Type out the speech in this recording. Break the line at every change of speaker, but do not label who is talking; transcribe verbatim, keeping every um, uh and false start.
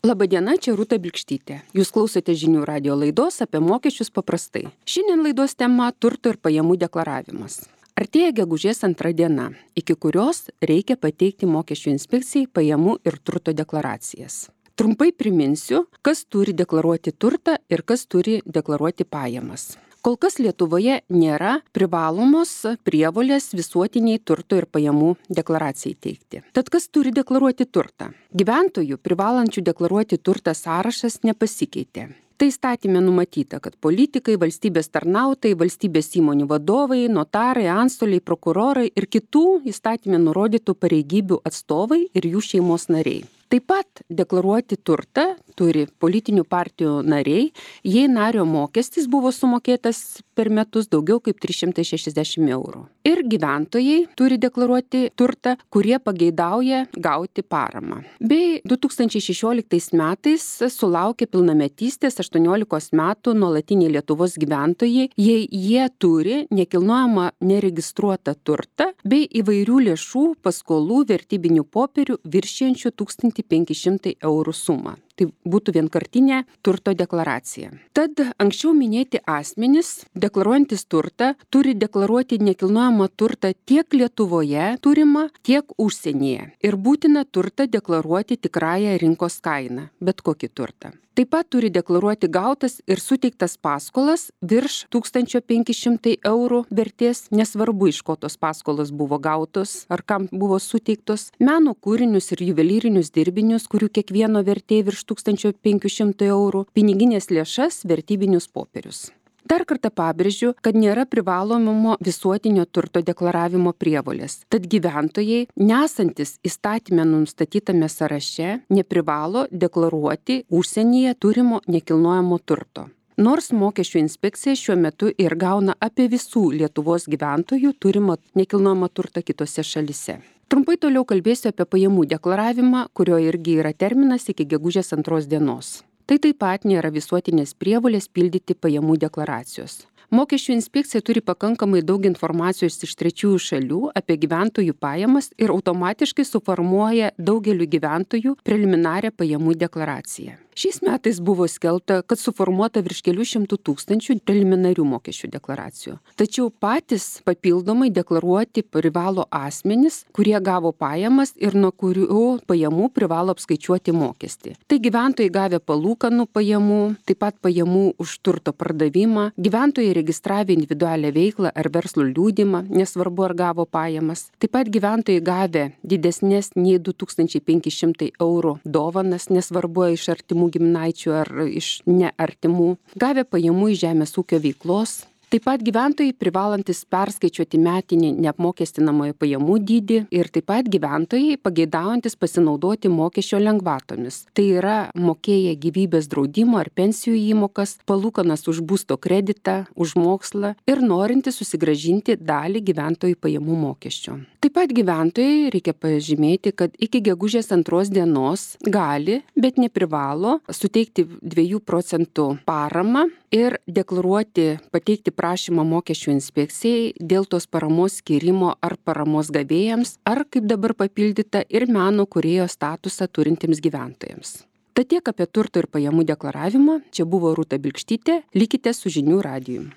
Labadiena, čia Rūta Bilkštytė. Jūs klausote žinių radijo laidos apie mokesčius paprastai. Šiandien laidos tema – turto ir pajamų deklaravimas. Artėja gegužės antra diena, iki kurios reikia pateikti mokesčių inspekcijai pajamų ir turto deklaracijas. Trumpai priminsiu, kas turi deklaruoti turtą ir kas turi deklaruoti pajamas. Kol kas Lietuvoje nėra privalomos prievolės visuotiniai turto ir pajamų deklaracijai teikti. Tad kas turi deklaruoti turtą? Gyventojų privalančių deklaruoti turtą sąrašas nepasikeitė. Tai įstatyme numatyta, kad politikai, valstybės tarnautojai, valstybės įmonių vadovai, notarai, antstoliai, prokurorai ir kitų įstatyme nurodytų pareigybių atstovai ir jų šeimos nariai. Taip pat deklaruoti turtą turi politinių partijų nariai, jei nario mokestis buvo sumokėtas per metus daugiau kaip trys šimtai šešiasdešimt eurų. Ir gyventojai turi deklaruoti turtą, kurie pageidauja gauti paramą. Bei du tūkstančiai šešioliktais metais sulaukė pilnametystės aštuoniolikos metų nuolatiniai Lietuvos gyventojai, jei jie turi nekilnojamą neregistruotą turtą bei įvairių lėšų, paskolų, vertybinių popierių viršijančių tūkstantį penki šimtai eurų sumą. Tai būtų vienkartinė turto deklaracija. Tad anksčiau minėti asmenys, deklaruojantis turtą, turi deklaruoti nekilnojamą turtą tiek Lietuvoje turimą, tiek užsienyje. Ir būtina turtą deklaruoti tikrąją rinkos kainą, bet kokį turtą. Taip pat turi deklaruoti gautas ir suteiktas paskolas virš tūkstančio penki šimtai eurų vertės, nesvarbu iš ko tos paskolos buvo gautos ar kam buvo suteiktos, meno kūrinius ir juvelyrinius dirbinius, kurių kiekvieno vertė virš tūkstančio penkių šimtų eurų, piniginės lėšas, vertybinius popierius. Dar kartą pabrėžiu, kad nėra privalomo visuotinio turto deklaravimo prievolės. Tad gyventojai, nesantis įstatyme nustatytame sąraše, neprivalo deklaruoti užsienyje turimo nekilnojamo turto. Nors mokesčių inspekcija šiuo metu ir gauna apie visų Lietuvos gyventojų turimo nekilnojamo turtą kitose šalise. Trumpai toliau kalbėsiu apie pajamų deklaravimą, kurio irgi yra terminas iki gegužės antros dienos. Tai taip pat nėra visuotinės prievolės pildyti pajamų deklaracijos. Mokesčių inspekcija turi pakankamai daug informacijos iš trečiųjų šalių apie gyventojų pajamas ir automatiškai suformuoja daugeliu gyventojų preliminarią pajamų deklaraciją. Šiais metais buvo skelbta, kad suformuota virš kelių šimtų tūkstančių preliminarių mokesčių deklaracijų. Tačiau patys papildomai deklaruoti privalo asmenys, kurie gavo pajamas ir nuo kurių pajamų privalo apskaičiuoti mokestį. Tai gyventojai gavę palūkanų pajamų, taip pat pajamų už turto pardavimą, gyventojai registravę individualią veiklą ar verslo liudijimą, nesvarbu ar gavo pajamas, taip pat gyventojai gavę didesnės nei du tūkstančiai penki šimtai eurų dovanas, nesvarbu iš artimų giminaičių ar iš neartimų, gavę pajamų iš žemės ūkio veiklos. Taip pat gyventojai privalantis perskaičiuoti metinį neapmokestinamojo pajamų dydį ir taip pat gyventojai pageidaujantis pasinaudoti mokesčio lengvatomis. Tai yra mokėję gyvybės draudimo ar pensijų įmokas, palūkanas už būsto kreditą, už mokslą ir norintys susigrąžinti dalį gyventojų pajamų mokesčio. Taip pat gyventojai reikia pažymėti, kad iki gegužės antros dienos gali, bet neprivalo suteikti dviejų procentų paramą ir deklaruoti, pateikti prašymą mokesčių inspekcijai dėl tos paramos skyrimo ar paramos gavėjams, ar kaip dabar papildyta ir meno kūrėjo statusą turintiems gyventojams. Tad tiek apie turto ir pajamų deklaravimą. Čia buvo Rūta Bilkštytė. Likite su žinių radiju.